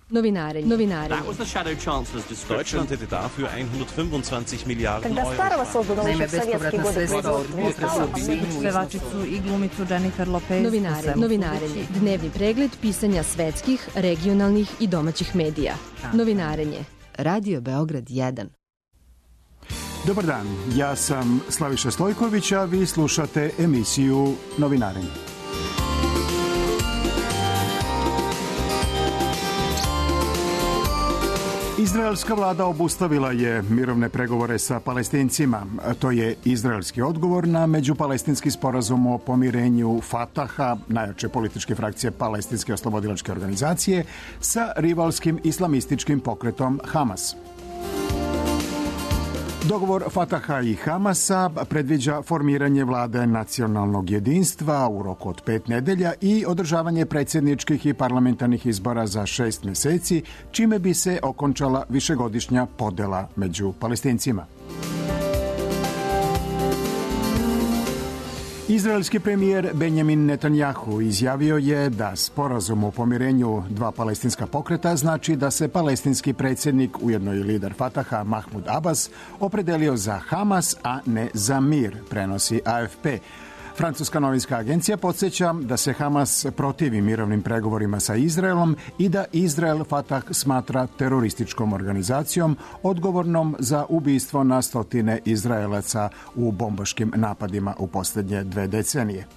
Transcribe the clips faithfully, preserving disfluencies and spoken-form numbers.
Novinarenje. Novinarenje. Deutschland hätte dafür hundertfünfundzwanzig Miliarden Euro. Naime, bespovratna sredstva od potresa u pevačicu i glumicu Jennifer Lopez. Novinarenje. Novinarenje. Dnevni pregled pisanja svetskih, regionalnih i domaćih medija. Novinarenje. Radio Beograd jedan. Dobar dan, ja sam Slaviša Stojković, a vi slušate emisiju Novinarenje. Izraelska vlada obustavila je mirovne pregovore sa Palestincima. To je izraelski odgovor na međupalestinski sporazum o pomirenju Fataha, najjače političke frakcije Palestinske oslobodilačke organizacije, sa rivalskim islamističkim pokretom Hamas. Dogovor Fataha i Hamasa predviđa formiranje vlade nacionalnog jedinstva u roku od pet nedelja i održavanje predsjedničkih i parlamentarnih izbora za šest meseci, čime bi se okončala višegodišnja podela među Palestincima. Izraelski premijer Benjamin Netanjahu izjavio je da sporazum o pomirenju dva palestinska pokreta znači da se palestinski predsjednik, ujedno i lider Fataha Mahmud Abbas, opredelio za Hamas, a ne za mir, prenosi A F P. Francuska novinska agencija podsjeća da se Hamas protivi mirovnim pregovorima sa Izraelom i da Izrael Fatah smatra terorističkom organizacijom odgovornom za ubistvo na stotine Izraelaca u bombaškim napadima u posljednje dve decenije.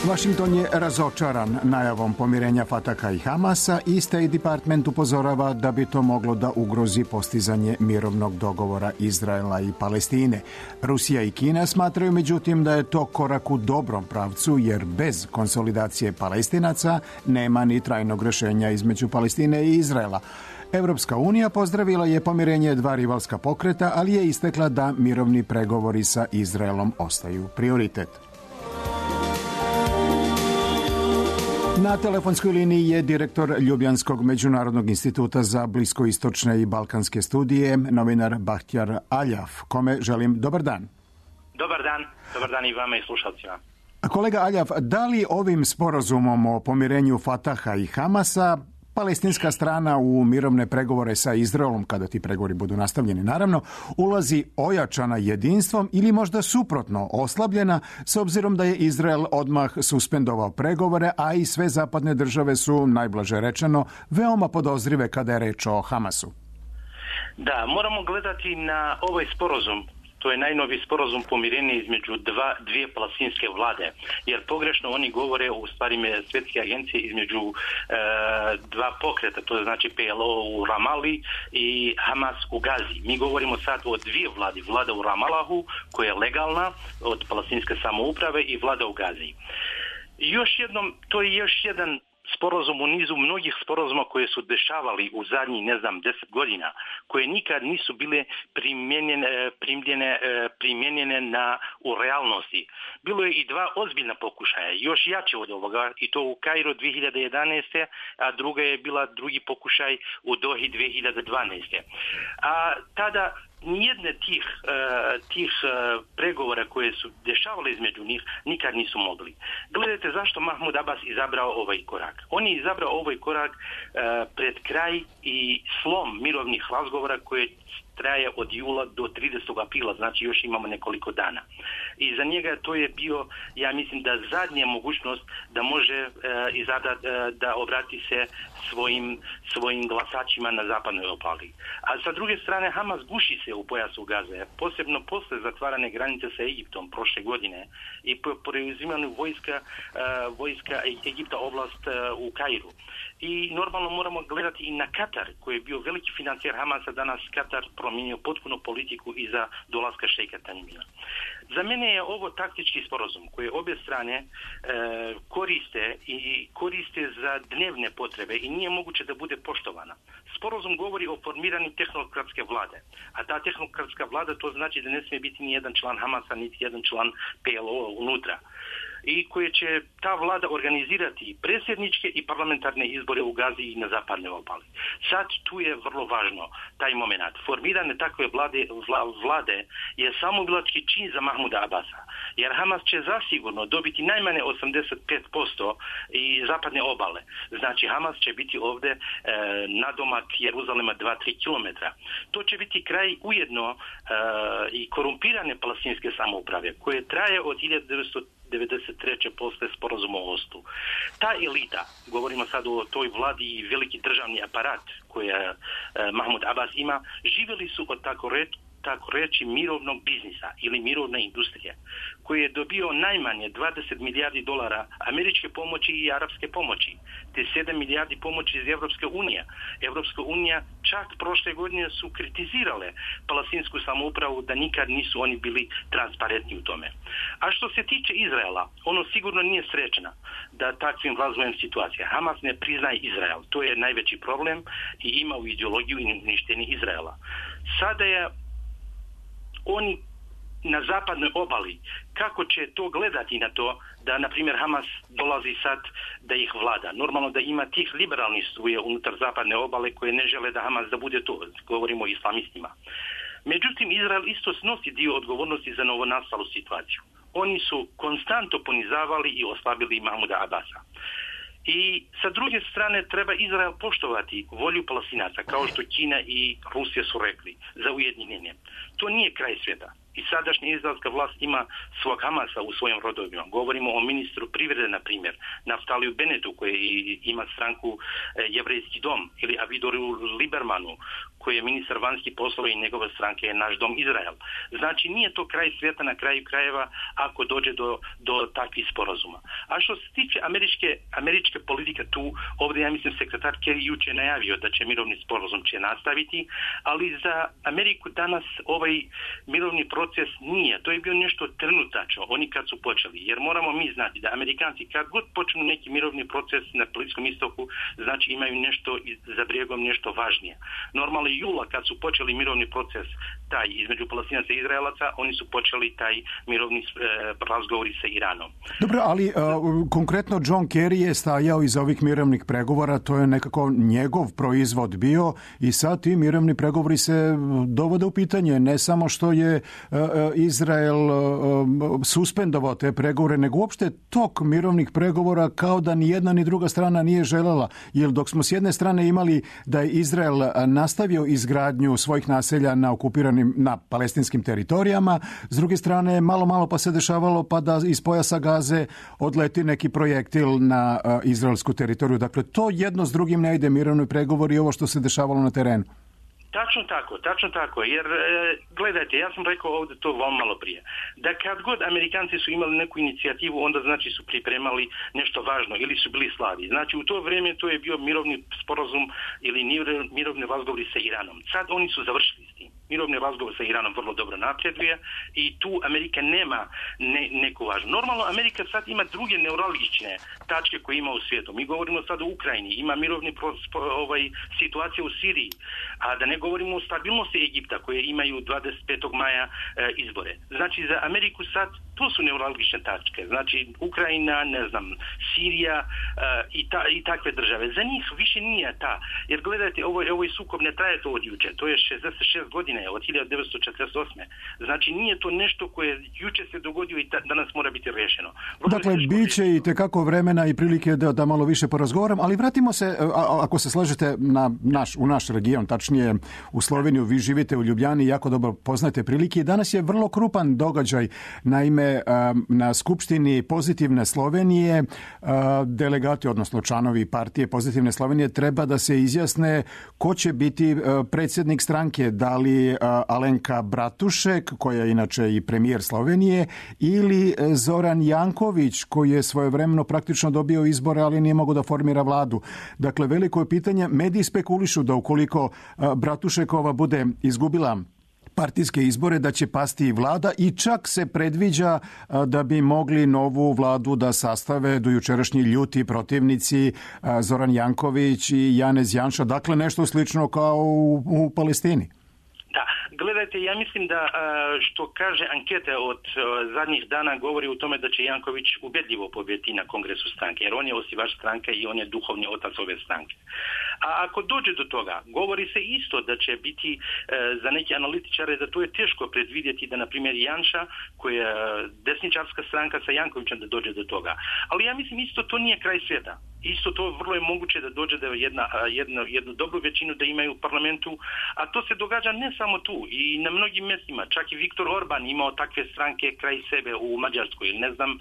Washington je razočaran najavom pomirenja Fataha i Hamasa i State Department upozorava da bi to moglo da ugrozi postizanje mirovnog dogovora Izraela i Palestine. Rusija i Kina smatraju međutim da je to korak u dobrom pravcu jer bez konsolidacije Palestinaca nema ni trajnog rješenja između Palestine i Izraela. Evropska unija pozdravila je pomirenje dva rivalska pokreta, ali je istakla da mirovni pregovori sa Izraelom ostaju prioritet. Na telefonskoj liniji je direktor Ljubljanskog međunarodnog instituta za bliskoistočne i balkanske studije, novinar Bahtjar Aljaf, kome želim dobar dan. Dobar dan, dobar dan i vama i slušalcima. Kolega Aljaf, da li ovim sporazumom o pomirenju Fataha i Hamasa palestinska strana u mirovne pregovore sa Izraelom, kada ti pregovori budu nastavljeni naravno, ulazi ojačana jedinstvom ili možda suprotno oslabljena s obzirom da je Izrael odmah suspendovao pregovore, a i sve zapadne države su, najblaže rečeno, veoma podozrive kada je reč o Hamasu? Da, moramo gledati na ovaj sporazum. To je najnoviji sporazum pomirenja između dva, dvije palestinske vlade. Jer pogrešno oni govore, u stvari svjetske agencije, između e, dva pokreta, to je znači P L O u Ramali i Hamas u Gazi. Mi govorimo sad o dvije vlade. Vlada u Ramalahu, koja je legalna od palestinske samouprave, i vlada u Gazi. I još jednom, to je još jedan sporazum u nizu mnogih sporazuma koje su dešavali u zadnjih, ne znam, deset godina, koje nikad nisu bile primjenjene, primljene, primjenjene na, u realnosti. Bilo je i dva ozbiljna pokušaja, još jače od ovoga, i to u Kairu dvije hiljade jedanaeste. a druga je bila drugi pokušaj u Dohi dvije hiljade dvanaeste. A tada nijedne tih, uh, tih uh, pregovora koje su dešavale između njih nikad nisu mogli. Gledajte zašto Mahmud Abbas izabrao ovaj korak. On je izabrao ovaj korak uh, pred kraj i slom mirovnih razgovora koje traje od jula do tridesetog aprila, znači još imamo nekoliko dana. I za njega to je bio, ja mislim, da zadnja mogućnost da može uh, izabrati, uh, da obrati se svojim, svojim glasačima na zapadnoj obali. A sa druge strane, Hamas guši se u pojasu Gaze, posebno posle zatvarane granice sa Egiptom prošle godine i po preuzimanju vojska, uh, vojska Egipta oblast uh, u Kairu. I normalno moramo gledati i na Katar, koji je bio veliki financijer Hamasa. Danas Katar promijenio potpuno politiku iza dolaska šejka Tamima. Za mene je ovo taktički sporazum koje obje strane e, koriste i koriste za dnevne potrebe i nije moguće da bude poštovana. Sporazum govori o formiranju tehnokratske vlade, a ta tehnokratska vlada to znači da ne smije biti ni jedan član Hamasa, niti jedan član P L O unutra. i koje će ta vlada organizirati predsjedničke i parlamentarne izbore u Gazi i na zapadnoj obali. Sad tu je vrlo važno taj moment. Formirane takve vlade, vla, vlade je samouvlački čin za Mahmuda Abasa, jer Hamas će zasigurno dobiti najmanje osamdeset pet posto i zapadne obale. Znači Hamas će biti ovdje e, nadomak Jeruzalema dva do tri kilometra. To će biti kraj ujedno e, i korumpirane palestinske samouprave koje traje od hiljadu devetsto devedeset treće posle sporazuma o Oslu. Ta elita, govorimo sad o toj vladi i veliki državni aparat koje e, Mahmud Abbas ima, živjeli su od tako reći tako reći mirovnog biznisa ili mirovne industrije, koji je dobio najmanje dvadeset milijardi dolara američke pomoći i arapske pomoći, te sedam milijardi pomoći iz Evropske unije. Evropska unija čak prošle godine su kritizirale palestinsku samoupravu da nikad nisu oni bili transparentni u tome. A što se tiče Izraela, ono sigurno nije srećna da takvim razvojem situacije. Hamas ne priznaje Izrael. To je najveći problem i ima u ideologiju i uništenje Izraela. Sada je oni na zapadnoj obali, kako će to gledati na to da, na primjer, Hamas dolazi sad da ih vlada. Normalno da ima tih liberalnih struje unutar zapadne obale koje ne žele da Hamas da bude to. Govorimo o islamistima. Međutim, Izrael isto snosi dio odgovornosti za novonastalu situaciju. Oni su konstantno ponizavali i oslabili Mahmuda Abasa. I sa druge strane treba Izrael poštovati volju Palestinaca, kao što Kina i Rusija su rekli, za ujedinjenje. To nije kraj svijeta. I sadašnja izraelska vlast ima svog Hamasa u svojim rodovima. Govorimo o ministru privrede, na primjer, Naftaliju Benetu, koji ima stranku Jevrejski dom, ili Avidoru Libermanu, koji je ministar vanjskih poslova i njegove stranke je Naš dom Izrael. Znači nije to kraj svijeta na kraju krajeva ako dođe do, do takvih sporazuma. A što se tiče američke, američke politike tu, ovdje ja mislim sekretar Kerry jučer najavio da će mirovni sporazum će nastaviti, ali za Ameriku danas ovaj mirovni proces nije. To je bio nešto trenutačno, oni kad su počeli. Jer moramo mi znati da Amerikanci kad god počnu neki mirovni proces na Bliskom istoku, znači imaju nešto za brijegom nešto važnije. Normalno jula kad su počeli mirovni proces taj između Palestinaca i Izraelaca, oni su počeli taj mirovni e, razgovori sa Iranom. Dobro, ali uh, konkretno John Kerry je stajao iza ovih mirovnih pregovora, to je nekako njegov proizvod bio i sad ti mirovni pregovori se dovode u pitanje. Ne samo što je uh, Izrael uh, suspendovao te pregovore, nego uopšte tok mirovnih pregovora kao da ni jedna ni druga strana nije želela. Jer dok smo s jedne strane imali da je Izrael nastavio izgradnju svojih naselja na okupiranim, na palestinskim teritorijama, s druge strane malo malo pa se dešavalo pa da iz pojasa Gaze odleti neki projektil na uh, izraelsku teritoriju. Dakle, to jedno s drugim ne ide, mirovni pregovori i ovo što se dešavalo na terenu. Tačno tako, tačno tako, jer e, gledajte, ja sam rekao ovdje to vam malo prije, da kad god Amerikanci su imali neku inicijativu, onda znači su pripremali nešto važno ili su bili slabi. Znači u to vrijeme to je bio mirovni sporazum ili mirovni razgovori sa Iranom. Sad oni su završili s tim. Mirovni razgovor sa Iranom vrlo dobro napreduje i tu Amerika nema ne, neku važnu. Normalno Amerika sad ima druge neuralgične tačke koje ima u svijetu. Mi govorimo sad o Ukrajini, ima mirovni pro, ovaj, situacija u Siriji, a da ne govorimo o stabilnosti Egipta koje imaju dvadeset petog maja e, izbore. Znači za Ameriku sad to su neuralgične tačke. Znači Ukrajina, ne znam, Sirija e, i, ta, i takve države. Za njih više nije ta. Jer gledajte, ovo, ovo sukob ne traje to od juče. To je šezdeset šest godina, od hiljadu devetsto četrdeset osme. Znači nije to nešto koje juče se dogodio i danas mora biti rješeno. Vrlo dakle, bit će i tekako vremena i prilike da, da malo više porazgovaram, ali vratimo se, a, ako se slažete, na naš, u naš region, tačnije u Sloveniju. Vi živite u Ljubljani i jako dobro poznate prilike. Danas je vrlo krupan događaj. Naime, na Skupštini Pozitivne Slovenije delegati, odnosno članovi partije Pozitivne Slovenije treba da se izjasne ko će biti predsjednik stranke, da li Alenka Bratušek, koja je inače i premijer Slovenije, ili Zoran Janković, koji je svojevremeno praktično dobio izbore, ali nije mogao da formira vladu. Dakle, veliko je pitanje. Mediji spekulišu da ukoliko Bratušekova bude izgubila partijske izbore, da će pasti i vlada i čak se predviđa da bi mogli novu vladu da sastave dojučerašnji ljuti protivnici Zoran Janković i Janez Janša. Dakle, nešto slično kao u, u Palestini. Da, Gledajte, ja mislim da što kaže ankete od zadnjih dana govori u tome da će Janković ubedljivo pobjediti na kongresu stranke, jer on je osnivač stranke i on je duhovni otac ove stranke. A ako dođe do toga, govori se isto da će biti e, za neke analitičare da to je teško predvidjeti da, na primjer, Janša, koja je desničarska stranka sa Jankovićem, da dođe do toga. Ali ja mislim isto to nije kraj svijeta. Isto to vrlo je moguće da dođe da jedna, jedna, jednu dobru većinu da imaju u parlamentu, a to se događa ne samo tu i na mnogim mjestima. Čak i Viktor Orban imao takve stranke kraj sebe u Mađarskoj. Ne znam,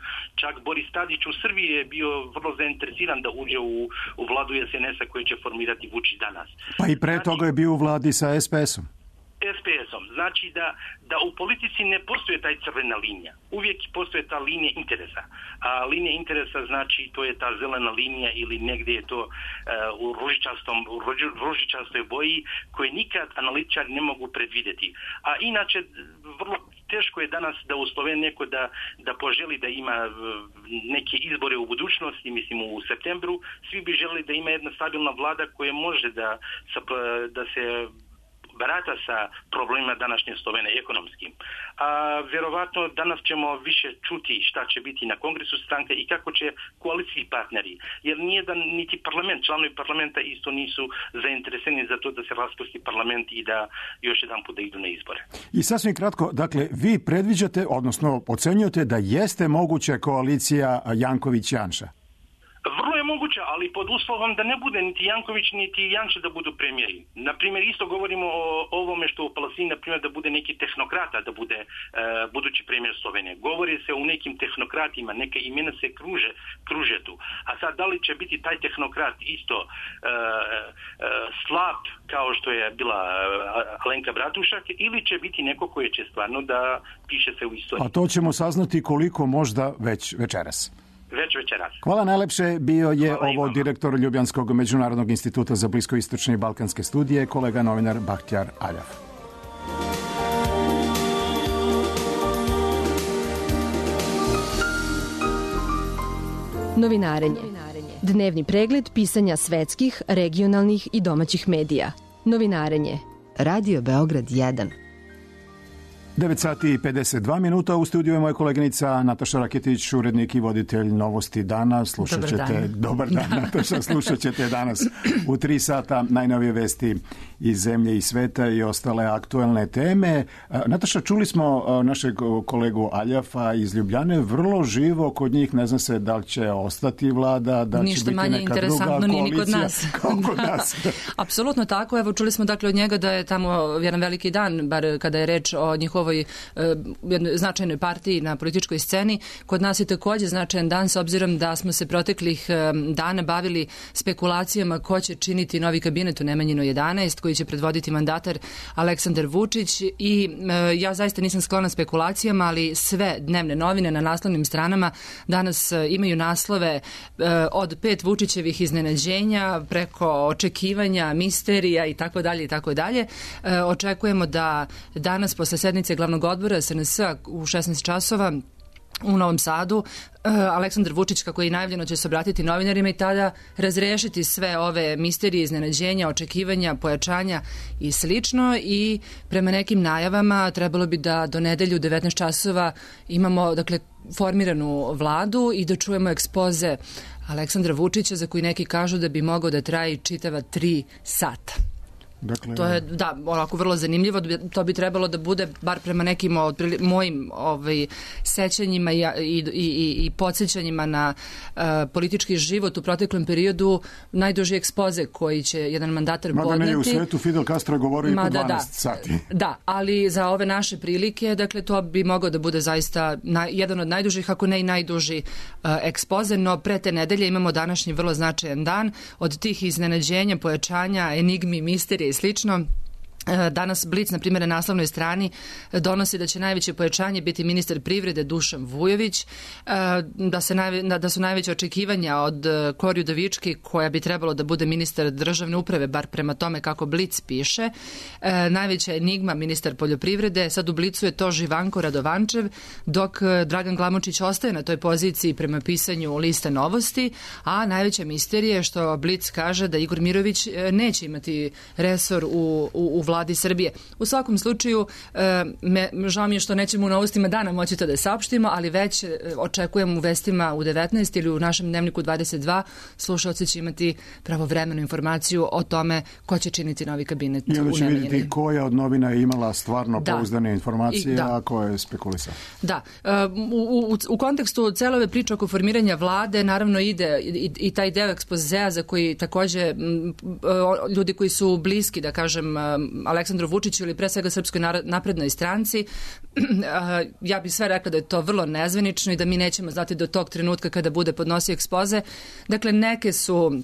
čak Boris Tadić u Srbiji je bio vrlo zainteresiran da uđe u, u vladu es en es-a koji će formirati Vučić danas. Pa i pre znači, toga je bio u vladi sa es pe esom. es pe esom. Znači da, da u politici ne postoje taj crvena linija. Uvijek postoje ta linija interesa. A linija interesa znači to je ta zelena linija ili negdje je to uh, u ružičastom, u ružičastoj boji koje nikad analitičari ne mogu predvidjeti. A inače vrlo teško je danas da u Sloveniji neko da, da poželi da ima neke izbore u budućnosti, mislim u septembru. Svi bi želeli da ima jedna stabilna vlada koja može da, da se barata sa problemima današnje Slovenije ekonomskim. A vjerovatno danas ćemo više čuti šta će biti na kongresu stranke i kako će koalicijski partneri. Jer nijedan niti parlament, članovi parlamenta isto nisu zainteresirani za to da se raspusti parlament i da još jedan put da idu na izbore. I sasvim kratko, dakle, vi predviđate, odnosno ocenjujete da jeste moguća koalicija Janković-Janša? Vrlo je moguće, ali pod uslovom da ne bude niti Janković niti Janša da budu premijeri. Na primjer, isto govorimo o ovome što u Palestini, na primjer, da bude neki tehnokrata da bude e, budući premijer Slovenije. Govori se o nekim tehnokratima, neke imena se kruže, kruže tu. A sad, da li će biti taj tehnokrat isto e, e, slab kao što je bila Alenka Bratušak ili će biti neko koji će stvarno da piše se u istoriji. A to ćemo saznati koliko možda već večeras. Već večeras. Hvala najlepše. Bio je Hvala ovo imam. direktor Ljubljanskog međunarodnog instituta za bliskoistočne i balkanske studije, kolega novinar Bahtjar Aljav. Novinarenje. Dnevni pregled pisanja svetskih, regionalnih i domaćih medija. Novinarenje. Radio Beograd jedan. devet sati i pedeset dva minuta. U studiju je moja koleginica Nataša Raketić, urednik i voditelj Novosti dana. Slušat Dobar ćete, dan. dobar dan Nataša, slušat ćete danas u tri sata najnovije vesti iz zemlje i sveta i ostale aktuelne teme. Nataša, čuli smo našeg kolegu Aljafa iz Ljubljane, vrlo živo kod njih, ne zna se da li će ostati vlada, da Ništa će biti manje neka druga interesantno nije ni kod koalicija nas. kao kod nas. Apsolutno tako. Evo, čuli smo dakle od njega da je tamo jedan veliki dan, bar kada je reč o njihovoj ovoj jednoj značajnoj partiji na političkoj sceni. Kod nas je također značajan dan s obzirom da smo se proteklih dana bavili spekulacijama ko će činiti novi kabinet u Nemanjinoj jedanaest koji će predvoditi mandatar Aleksandar Vučić i e, ja zaista nisam sklona spekulacijama, ali sve dnevne novine na naslovnim stranama danas e, imaju naslove e, od pet Vučićevih iznenađenja preko očekivanja, misterija i tako dalje i tako dalje. E, očekujemo da danas posle sednice glavnog odbora es en es-a u šesnaest časova u Novom Sadu Aleksandar Vučić, kako je i najavljeno, će se obratiti novinarima i tada razrešiti sve ove misterije, iznenađenja, očekivanja, pojačanja i slično. I prema nekim najavama trebalo bi da do nedelju u devetnaest časova imamo, dakle, formiranu vladu i da čujemo ekspoze Aleksandra Vučića za koji neki kažu da bi mogao da traje čitava tri sata. Dakle, to je, da, onako vrlo zanimljivo. To bi trebalo da bude, bar prema nekim od mojim ovaj, sećanjima i, i, i, i podsjećanjima na uh, politički život u proteklom periodu, najduži ekspoze koji će jedan mandatar Mada podneti. Mada ne, u svetu Fidel Castro je govorio i po dvanaest da, sati. Da, ali za ove naše prilike, dakle, to bi mogao da bude zaista na, jedan od najdužih, ako ne i najduži uh, ekspoze, no pre te nedelje imamo današnji vrlo značajan dan. Od tih iznenađenja, pojačanja, enigmi, misterije i slično. Danas Blic, na primjer, na naslovnoj strani donosi da će najveće pojačanje biti ministar privrede Dušan Vujović, da, se najve, da su najveće očekivanja od Kori Udovički, koja bi trebalo da bude ministar državne uprave, bar prema tome kako Blic piše. Najveća enigma ministar poljoprivrede, sad u Blicu je to Živanko Radovančev, dok Dragan Glamočić ostaje na toj poziciji prema pisanju liste Novosti, a najveća misterija je što Blic kaže da Igor Mirović neće imati resor u, u, u vladi Srbije. U svakom slučaju, me, žao mi je što nećemo u novostima dana moći to da saopštimo, ali već očekujem u vestima u devetnaest ili u našem dnevniku dvadeset dva slušalci će imati pravovremenu informaciju o tome ko će činiti novi kabinet u Nemanjini. I onda će vidjeti koja od novina je imala stvarno da. pouzdane informacije, da. a ko je spekulisao. Da. U, u, u kontekstu cele ove priče oko formiranja vlade naravno ide i, i taj deo ekspozea za koji takođe ljudi koji su bliski, da kažem, Aleksandru Vučiću ili pre svega Srpskoj naprednoj stranci, ja bih sve rekla da je to vrlo nezvanično i da mi nećemo znati do tog trenutka kada bude podnosio ekspoze. Dakle, neke su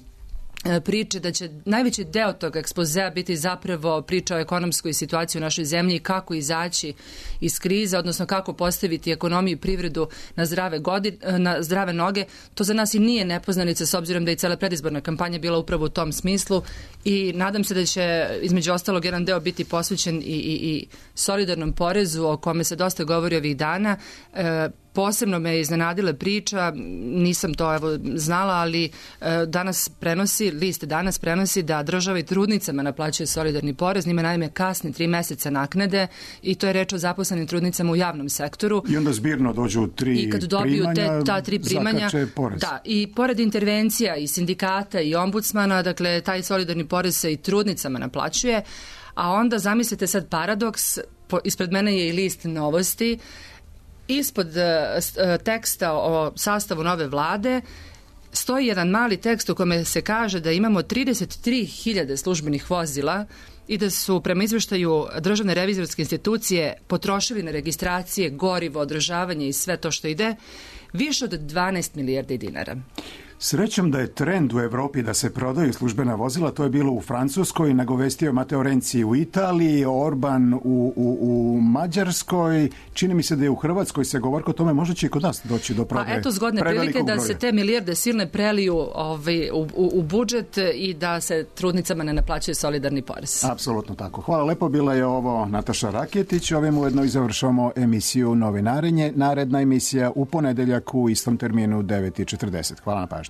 priče da će najveći deo tog ekspozea biti zapravo priča o ekonomskoj situaciji u našoj zemlji i kako izaći iz krize, odnosno kako postaviti ekonomiju i privredu na zdrave, godin, na zdrave noge. To za nas i nije nepoznanica s obzirom da je cela predizborna kampanja bila upravo u tom smislu i nadam se da će između ostalog jedan deo biti posvećen i, i, i solidarnom porezu o kome se dosta govori ovih dana. E, Posebno me je iznenadila priča, nisam to evo znala, ali e, danas prenosi, list danas prenosi da država i trudnicama naplaćuje solidarni porez, njima naime kasni tri meseca naknade i to je reč o zaposlenim trudnicama u javnom sektoru. I onda zbirno dođu tri I kad dobiju primanja, te, ta tri primanja, zakače porez. Da, i pored intervencija i sindikata i ombudsmana, dakle taj solidarni porez se i trudnicama naplaćuje, a onda zamislite sad paradoks, po, ispred mene je i list Novosti. Ispod uh, teksta o sastavu nove vlade stoji jedan mali tekst u kome se kaže da imamo trideset tri hiljade službenih vozila i da su prema izveštaju Državne revizorske institucije potrošili na registracije, gorivo, održavanje i sve to što ide više od dvanaest milijardi dinara. Srećom da je trend u Evropi da se prodaju službena vozila, to je bilo u Francuskoj, nagovestio Matteo Renzi u Italiji, Orban u, u, u Mađarskoj, čini mi se da je u Hrvatskoj se govorko o tome, možda će i kod nas doći do prodaje. Pa eto zgodne prilike da se te milijarde silne preliju ovaj, u, u, u budžet i da se trudnicama ne naplaćuje solidarni porez. Apsolutno tako. Hvala lepo, bila je ovo Nataša Raketić, ovim ujedno i završamo emisiju Novinarenje. Naredna emisija u ponedeljak u istom terminu devet i četrdeset. Hvala na pažnju.